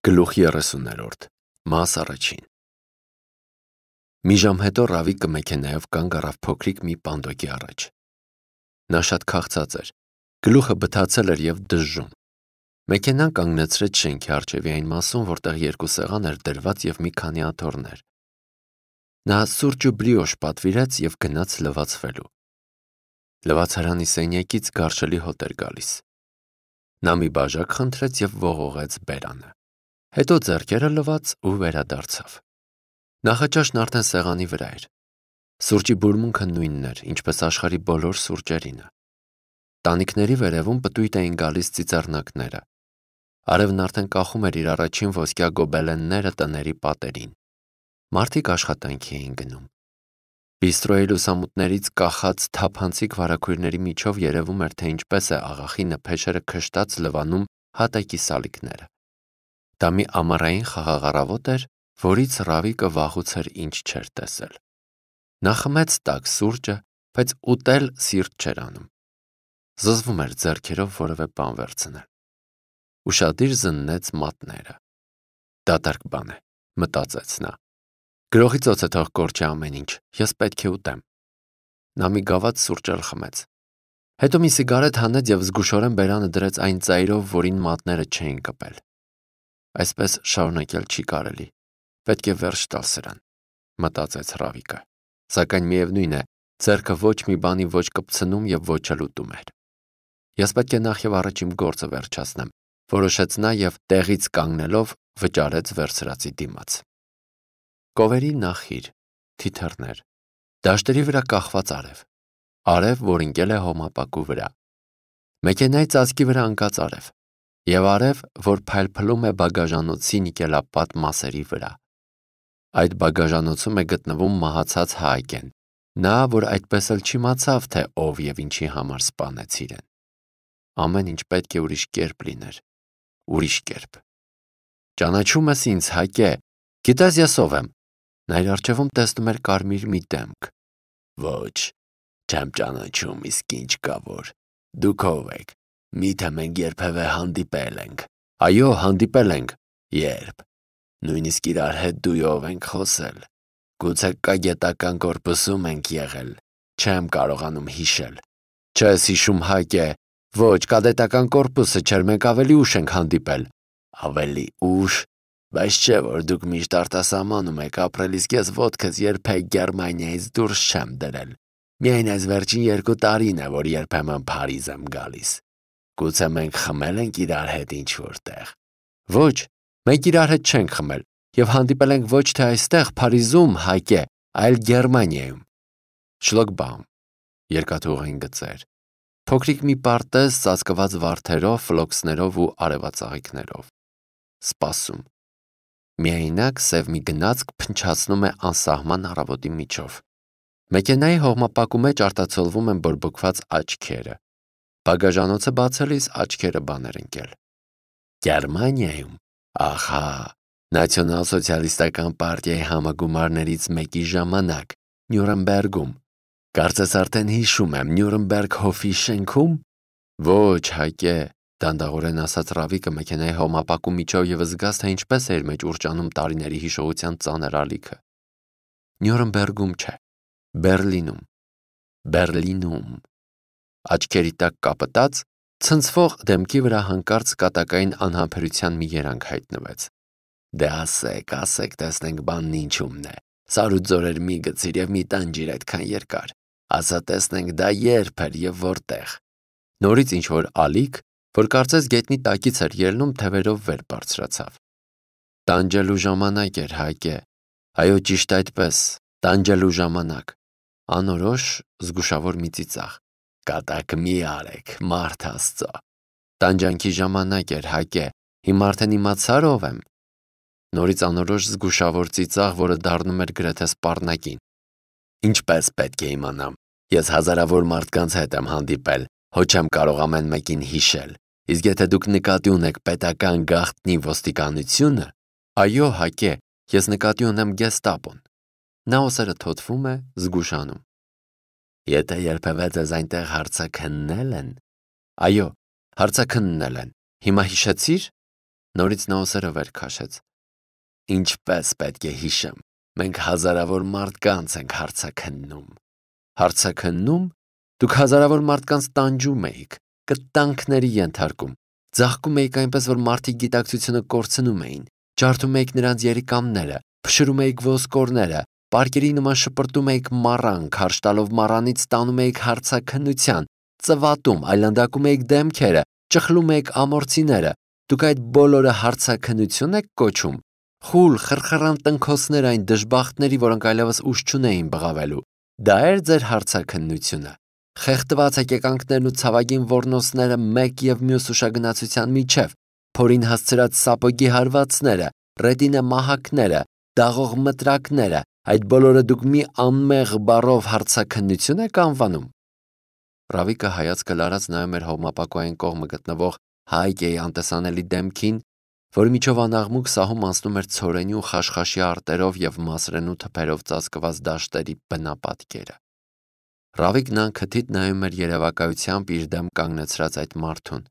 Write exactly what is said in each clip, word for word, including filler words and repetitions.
Գլուխ երեսուներորդ Մաս առաջին Մի ժամ հետո Ռավիկը մեքենայով կանգ առավ փոքրիկ մի պանդոկի առաջ։ Նա շատ քաղցած էր, գլուխը բթացել էր և դժժում։ Մեքենան կանգնեցրեց շենքի առջևի այն մասում, որտեղ երկու սեղան էր դրված և մի քանի աթոռներ։ Նա սուրճ ու բրիոշ պատվիրեց և գնաց լվացվելու։ Լվացարանի սենյակից գարշելի հոտ էր գալիս։ Նա մի բաժակ խնդրեց և ողողեց բերանը։ Հետո ձեռքերը լվաց ու վերադարձավ։ Նախաճաշն արդեն սեղանի վրա էր։ Սուրճի բուրմունքը նույնն էր, ինչպես աշխարհի բոլոր սուրճերինը։ Տանիքների վերևում պտույտ էին գալիս ծիծեռնակները։ Արևն արդեն կախում էր իր առաջին ոսկյա գոբելենները տների պատերին։ Մարդիկ աշխատանքի էին գնում։ Բիստրոյի լուսամուտներից կախած թափանցիկ վարագույրների միջով երևում էր, թե ինչպես է աղախի նփեշերը քշտած լվանում հատակի սալիկները։ Դա մի ամառային խաղաղ առավոտ էր, որից Ռավիկը վաղուց էր ինչ չէր տեսել։ Նա խմեց տաք սուրճը, բայց ուտել սիրտ չէր անում։ Զզվում էր ձեռքերով որևէ բան վերցնել։ Ուշադիր զննեց մատները։ Դատարկ բան է, մտածեց նա։ Գրողի ծոցը թող կորչի ամեն ինչ, ես պետք է ուտեմ։ Նա մի գավաթ սուրճ էլ խմեց։ Հետո մի սիգարետ հանեց և զգուշորեն բերանը դրեց այն ծայրով, որին մատները չէին կպել։ Այսպես շարունակել չի կարելի։ Պետք է վերջ տալ սրան, մտածեց Ռավիկը։ Սակայն միևնույն է, ձեռքը ոչ մի բանի ոչ կպցնում և ոչ էլ ուտում էր։ Ես պետք է նախ և առաջ իմ գործը վերջացնեմ, որոշեց նա և տեղից կանգնելով վճարեց վերցրածի դիմաց։ Կովերի նախիր, թիթեռներ, դաշտերի վրա կախված արև, արև, որ ընկել է հոմապակու վրա, մեքենայի ծածկի վրա ընկած արև, և արև, որ փայլփլում է բագաժանոցի նիկելապատ մասերի վրա։ Այդ բագաժանոցում է գտնվում մահացած Հայկեն, նա, որ այդպես էլ չիմացավ, թե ով և ինչի համար սպանեց իրեն։ Ամեն ինչ պետք է ուրիշ կերպ լիներ, ուրիշ կերպ։ Ճանաչում ես ինձ, Հայկե, գիտես ես ով եմ։ Նա իր առջևում տեսնում էր կարմիր մի դեմք։ Ոչ, չեմ ճանաչում, իսկ ինչ կա որ։ Դուք ով եք։ Միթե մենք երբևէ հանդիպել ենք։ Այո, հանդիպել ենք։ Երբ։ Նույնիսկ իրար հետ դույով ենք խոսել։ Գուցե կագետական կորպուսում ենք եղել։ Չեմ կարողանում հիշել։ Չես հիշում, Հայկե։ Ոչ, կադետական կորպուսը չէր, մենք ավելի ուշ ենք հանդիպել։ Ավելի ուշ։ Բայց չէ, որ դուք միշտ արտասահմանում եք ապրել, իսկ ես ոտքս երբեք Գերմանիայից դուրս չեմ դրել։ Միայն այս վերջին երկու տարին է, որ երբեմն Փարիզ եմ գալիս։ Գուցե մենք խմել ենք իրար հետ ինչ-որ տեղ։ Ոչ, մենք իրար հետ չենք խմել և հանդիպել ենք ոչ թե այստեղ, Փարիզում, Հայկե, այլ Գերմանիայում։ Շլոգբաում, երկաթուղային գծեր, փոքրիկ մի պարտեզ ծածկված վարդերով, ֆլոքսներով ու արևածաղիկներով։ Սպասում։ Միայնակ սև մի գնացք փնչացնում է անսահման առավոտի միջով։ Մեքենայի հողմապակու մեջ արտացոլվում են բորբոքված աչքերը։ Բագաժանոցը բացելիս աչքերը բան էր ընկել։ Գերմանիայում, ահա, Նացիոնալ-սոցիալիստական պարտիայի համագումարներից մեկի ժամանակ, Նյուրնբերգում։ Կարծես արդեն հիշում եմ, Նյուրնբերգ հովի շենքո՞ւմ։ Ոչ, Հայկե, դանդաղորեն ասաց Ռավիկը մեքենայի հողմապակու միջով և զգաց, թե ինչպես է իր մեջ ուռճանում տարիների հիշողության ծանր ալիքը։ Նյուրնբերգում չէ, Բերլինում։ Բերլինում։ Աչքերի տակ կապտած, ցնցվող դեմքի վրա հանկարծ կատակային անհամբերության մի երանգ հայտնվեց։ Դե ասեք, ասեք, տեսնենք բանն ինչումն է։ Սարուձորեր մի գցիր և մի տանջիր այդքան երկար։ Ասա տեսնենք դա երբ էր և որտեղ։ Նորից ինչ-որ ալիք, որ կարծես գետնի տակից էր ելնում, թևերով վեր բարձրացավ։ Տանջելու ժամանակ էր, Հայկե։ Այո, ճիշտ այդպես, տանջելու ժամանակ։ Անորոշ, զգուշավոր մի ծիծաղ։ Կատակ մի արեք, մարդ Աստծո։ Տանջանքի ժամանակ էր, Հայկե։ Հիմա արդեն իմացար ով եմ։ Նորից անորոշ զգուշավոր ծիծաղ, որը դառնում էր գրեթե սպառնակին։ Ինչպես պետք է իմանամ։ Ես հազարավոր մարդկանց հետ եմ հանդիպել, հո չեմ կարող ամեն մեկին հիշել։ Իսկ եթե դուք նկատի ունեք պետական գաղտնի ոստիկանությունը, այո, Հայկե, ես նկատի ունեմ գեստապոն։ Նա ուսերը թոթվում է, զգուշանում։ Եթե երբևէ ձեզ այնտեղ հարցաքննել են։ Այո, հարցաքննել են։ Հիմա հիշեցի՞ր։ Նորից նա ուսերը վեր քաշեց։ Ինչպես պետք է հիշեմ, մենք հազարավոր մարդկանց ենք հարցաքննում։ Հարցաքննում։ Դուք հազարավոր մարդկանց տանջում էիք, կտանքների ենթարկում, ձաղկում էիք այնպես, որ մարդիկ գիտակցությունը կորցնում էին, ջարդում էիք նրանց երիկամները, փշրում էիք ոսկորները, պարկերի նման շպրտում էիք մառան, քարշ տալով մառանից ստանում էիք հարցաքննության, ծվատում, այլանդակում էիք դեմքերը, ճխլում էիք ամորցիները։ Դուք այդ բոլորը հարցաքննություն եք կոչում։ Խուլ, խրխրան տնքոսներ այն դժբախտների, որոնք այլևս ուժ չունեին բղավելու։ Դա էր ձեր հարցաքննությունը։ Խեղդված հեկեկանքներն ու ցավագին ոռնոցները մեկ եւ մյուս ուշագնացության միջև, փորին հասցրած սապոգի հարվածները, ռետինե մահակները, դաղող մտրակները, այդ բոլորը դուք մի անմեղ բառով հարցաքննություն եք անվանում։ Ռավիկը հայացքը լարած նայում էր հողմապակոյին կողմը գտնվող Հայկեի անտեսանելի դեմքին, որի միջով անաղմուկ սահում անցնում էր ցորենի ու խաշխաշի արտերով եւ մասրենու թփերով ծածկված դաշտերի բնապատկերը։ Ռավիկն անքթիթ նայում էր երևակայությամբ իր դեմ կանգնեցրած այդ մարդուն։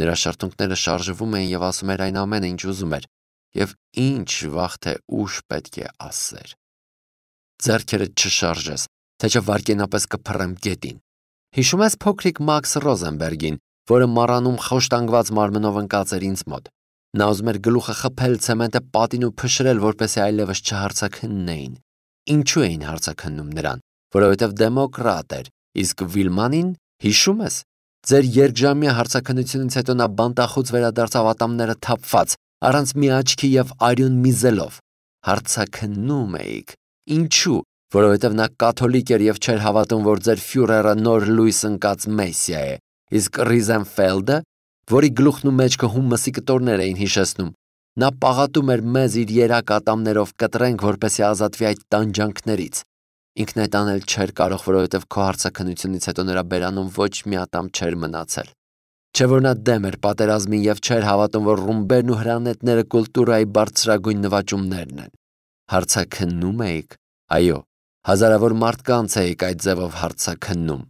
Նրա շրթունքները շարժվում էին եւ ասում էր այն ամենը, ինչ ուզում էր, եւ ինչ վաղ թե ուշ պետք է ասեր։ Ձեռքերը չշարժես, թե չէ վարկենապես կփռեմ գետին։ Հիշում ես փոքրիկ Մաքս Ռոզենբերգին, որը մառանում խոշտանգված մարմնով ընկած էր ինձ մոտ։ Նա ուզում էր գլուխը խփել ցեմենտը պատին ու փշրել, որպեսզի այլևս չհարցաքննեին։ Ինչու էին հարցաքննում նրան, որովհետև դեմոկրատ էր, իսկ Վիլմանին, հիշում ես, ձեր երկժամյա հարցաքննությունից հետո նա բանտախուց վերադարձավ ատամները թափված, առանց մի աչքի եւ արյուն միզելով։ Հարցաքննում էիք։ Ինչու? Որովհետև նա կաթոլիկ էր եւ չէր հավատում, որ ձեր ֆյուրերը նոր լույս ընկած մեսիա է, իսկ Ռիզենֆելդը, որի գլուխն ու մեջքը հումսի կտորներ էին հիշեցնում, նա պաղատում էր մեզ իր երակ ատամներով կտրենք, որպեսզի ազատվի այդ տանջանքներից։ Ինքն այդ անել չէր կարող, որովհետև քո հարցաքննությունից հետո նրա բերանում ոչ մի ատամ չէր մնացել։ Չէ որ նա դեմ էր պատերազմին եւ չէր հավատում, որ ռումբերն ու հրանետները կուլտուրայի բարձրագույն նվաճումներն են։ Հարցաքննում էիք։ Այո, հազարավոր մարդկանց էիք այդ ձևով հարցաքննում։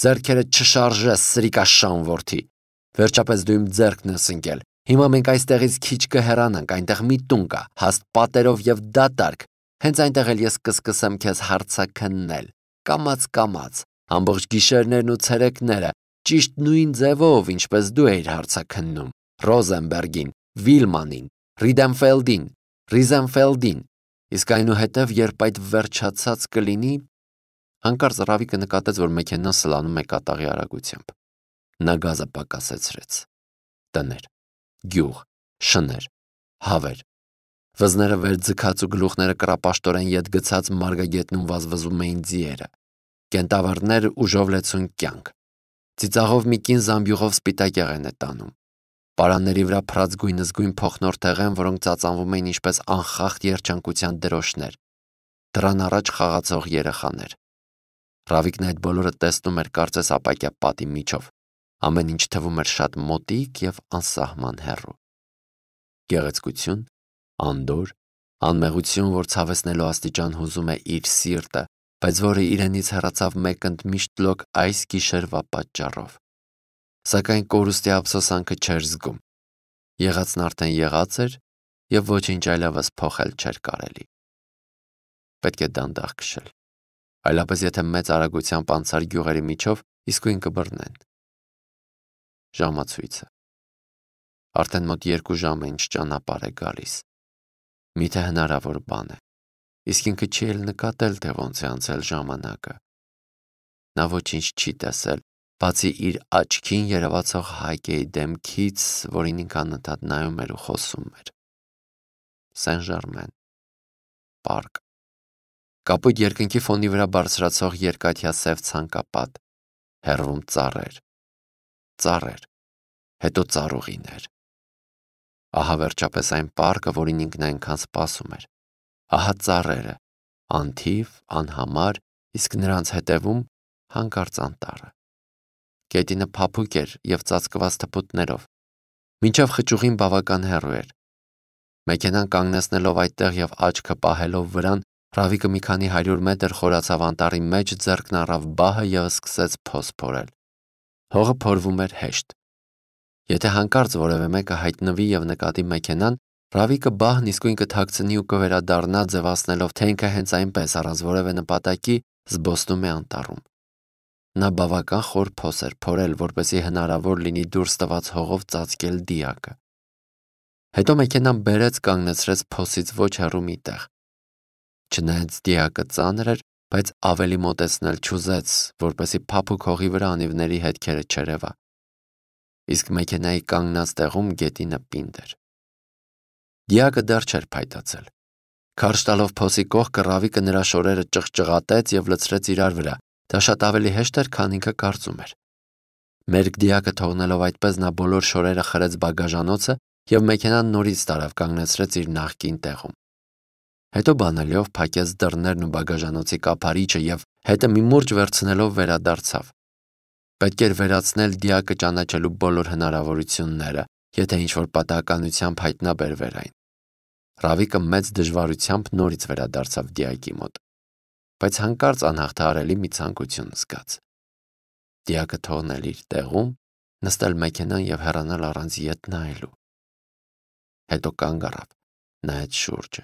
Ձեռքերը չշարժես, սրիկաշան որդի։ Վերջապես դու իմ ձեռքն ես ընկել։ Հիմա մենք այստեղից քիչ կհեռանանք, այնտեղ մի տուն կա, հաստ պատերով եւ դատարկ։ Հենց այնտեղ էլ ես կսկսեմ քեզ հարցաքննել։ Կամաց-կամաց, ամբողջ գիշերներն ու ցերեկները, ճիշտ նույն ձևով, ինչպես դու էիր հարցաքննում Ռոզենբերգին, Վիլմանին, Ռիդենֆելդին, Ռիզենֆելդին։ Իսկ այնուհետև, երբ այդ վերջացած կլինի, հանկարծ Ռավիկը նկատեց, որ մեքենան սլանում է կատաղի արագությամբ։ Նա գազը պակասեցրեց։ Տներ, գյուղ, շներ, հավեր։ Վզները վեր ձգած ու գլուխները կռապաշտորեն ետ գցած մարգագետնում վազվզում էին ձիերը։ Կենտավառներ ուժով լեցուն կյանք։ Ծիծաղով մի կին զամբյուղով սպիտակ եղեն է տանում։ Պարանների վրա փռած գույնզգույն փոխնորթեղ են, որոնք ծածանվում էին ինչպես անխախտ երջանկության դրոշներ։ Դրան առաջ խաղացող երեխաներ։ Ռավիկն այդ բոլորը տեսնում էր կարծես ապակյա պատի միջով։ Ամեն ինչ թվում էր շատ մոտիկ եւ անսահման հեռու։ Գեղեցկություն, անդոր, անմեղություն, որ ցավեցնելու աստիճան հուզում է իր սիրտը, բայց որը իրենից հեռացավ մեկ ընդմիշտ լոկ այս գիշերվա պատճառով։ Սակայն կորուստի ափսոսանքը չէր զգում։ Եղածն արդեն եղած էր եւ ոչինչ այլևս փոխել չէր կարելի։ Պետք է դանդաղ քշել։ Այլապես եթե մեծ արագությամբ անցար գյուղերի միջով, իսկույն կբռնեն։ Ժամացույցը։ Արդեն մոտ երկու ժամ է ինչ ճանապարհ է գալիս։ Միթե հնարավոր բան է։ Իսկ ինքը չի էլ նկատել, թե ոնց է անցել ժամանակը։ Նա ոչինչ չի տեսել, բացի իր աչքին երևացող Հայկեի դեմքից, որին ինքն անընդհատ նայում էր ու խոսում էր։ Սեն-Ժարմեն, պարկ։ Կապույտ երկնքի ֆոնի վրա բարձրացող երկաթյա սև ցանկապատ, հեռվում ծառեր, ծառեր, հետո ծառուղիներ։ Ահա վերջապես այն պարկը, որին ինքն այնքան սպասում էր։ Ահա ծառերը, անթիվ, անհամար, իսկ նրանց հետևում հանկարծ անտառը։ Գետինը փափուկ էր եւ ծածկված թփուտներով։ Մինչև խճուղին բավական հեռու էր։ Մեքենան կանգնեցնելով այդտեղ եւ աչքը պահելով վրան, Ռավիկը մի քանի հարյուր մետր խորացավ անտառի մեջ, ձեռքն առավ բահը եւ սկսեց փոս փորել։ Հողը փորվում էր հեշտ։ Եթե հանկարծ որևէ մեկը հայտնվի եւ նկատի մեքենան, Ռավիկը բահն իսկույն կթաքցնի ու կվերադառնա ձևացնելով, թե ինքը հենց այնպես առանց որևէ նպատակի զբոսնում է անտառում։ Նա բավական խոր փոս էր փորել, որպեսզի հնարավոր լինի դուրս տված հողով ծածկել դիակը։ Հետո մեքենան բերեց կանգնեցրեց փոսից ոչ հեռու մի տեղ։ Չնայած դիակը ծանր էր, բայց ավելի մոտեցնել չուզեց, որպեսզի փափուկ հողի վրա անիվների հետքերը չերևա։ Իսկ մեքենայի կանգնած տեղում գետինը պինդ էր։ Դիակը դեռ չէր փայտացել։ Քարշ տալով փոսի կողքը Ռավիկը նրա շորերը ճղճղատեց եւ լցրեց իրար վրա։ Դա շատ ավելի հեշտ էր, քան ինքը կարծում էր։ Մերկ դիակը թողնելով այդպես նա բոլոր շորերը խրեց բագաժանոցը եւ մեքենան նորից տարավ կանգնեցրեց իր նախկին տեղում։ Հետո բանալիով փակեց դռներն ու բագաժանոցի կափարիչը եւ հետը մի մուրջ վերցնելով վերադարձավ։ Պետք էր վերացնել դիակը ճանաչելու բոլոր հնարավորությունները, եթե ինչ-որ պատահականությամբ հայտնաբերվեր այն։ Ռավիկը մեծ դժվարությամբ նորից վերադարձավ դիակի մոտ, բայց հանկարծ անհաղթահարելի մի ցանկություն զգաց։ Դիակը թողնել իր տեղում, նստել մեքենան եւ հեռանալ առանց ետ նայելու։ Հետո կանգ առավ, նայեց շուրջը։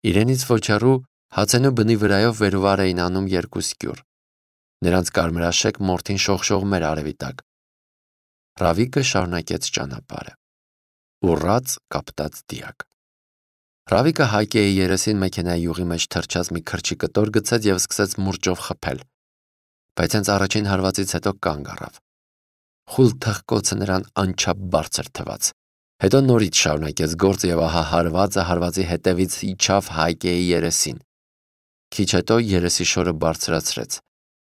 Իրենից ոչ հեռու հացենու բնի վրայով վերուվար էին անում երկու սկյուռ։ Նրանց կարմրաշեկ մորթին շողշողում էր արևի տակ։ Ռավիկը շարունակեց ճանապարհը։ Ուռած կապտած դիակ։ Ռավիկը Հայկեի երեսին մեքենայի յուղի մեջ թրջած մի քրչի կտոր գցեց եւ սկսեց մուրճով խփել։ Բայց հենց առաջին հարվածից հետո կանգ առավ։ Խուլ թխկոցը նրան անչափ բարձր թվաց։ Հետո նորից շարունակեց գործը եւ ահա հարվածը հարվածի հետևից իջավ Հայկեի երեսին։ Քիչ հետո երեսի շորը բարձրացրեց։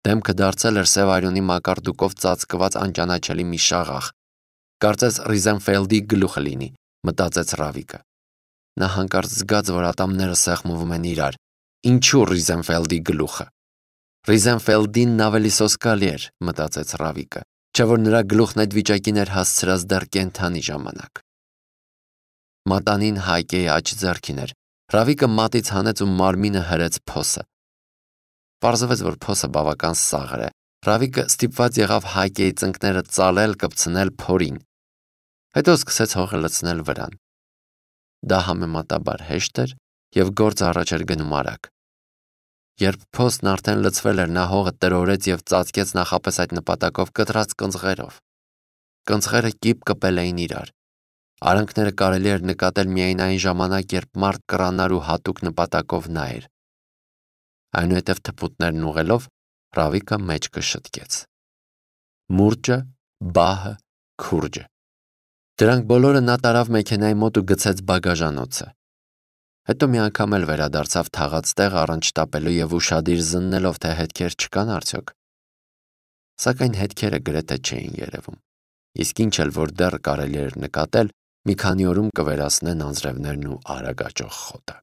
Դեմքը դարձել էր սև արյունի մակարդուկով ծածկված անճանաչելի մի շաղախ։ Կարծես Ռիզենֆելդի գլուխը լինի, մտածեց Ռավիկը։ Նա հանկարծ զգաց, որ ատամները սեղմվում են իրար։ Ինչու Ռիզենֆելդի գլուխը։ Ռիզենֆելդինն ավելի սոսկալի էր, մտածեց Ռավիկը, չէ՞ որ նրա գլուխն այդ վիճակին էր հասցրած դեռ կենդանի ժամանակ։ Մատանին Հայկեի աջ ձեռքին էր։ Ռավիկը մատից հանեց ու մարմինը հրեց փոսը։ Պարզվեց, որ փոսը բավական սաղր է։ Ռավիկը ստիպված եղավ Հայկեի ծնկները ծալել, կպցնել փորին։ Հետո սկսեց հողը լցնել վրան։ Դա համեմատաբար հեշտ էր եւ գործը առաջ էր գնում արագ։ Երբ փոսն արդեն լցվել էր, նա հողը տրորեց եւ ծածկեց նախապես այդ նպատակով կտրած կնձղերով։ Կնձղերը կիպ կպել էին իրար։ Արանքները կարելի էր նկատել միայն այն ժամանակ, երբ մարդ կռանար ու հատուկ նպատակով նայեր։ Այնուհետև թփուտներն ուղղելով Ռավիկը մեջքը շտկեց։ Մուրճը, բահը, քուրջը։ Դրանք բոլորը նա տարավ մեքենայի մոտ ու գցեց բագաժանոցը։ Հետո մի անգամ էլ վերադարձավ թաղած տեղ առանց շտապելու եւ ուշադիր զննելով, թե հետքեր չկան արդյոք։ Սակայն հետքերը գրեթե չէին երևում։ Իսկ ինչ էլ որ դեռ կարելի էր նկատել, մի քանի օրում կվերացնեն անձրևներն ու արագ աճող խոտը։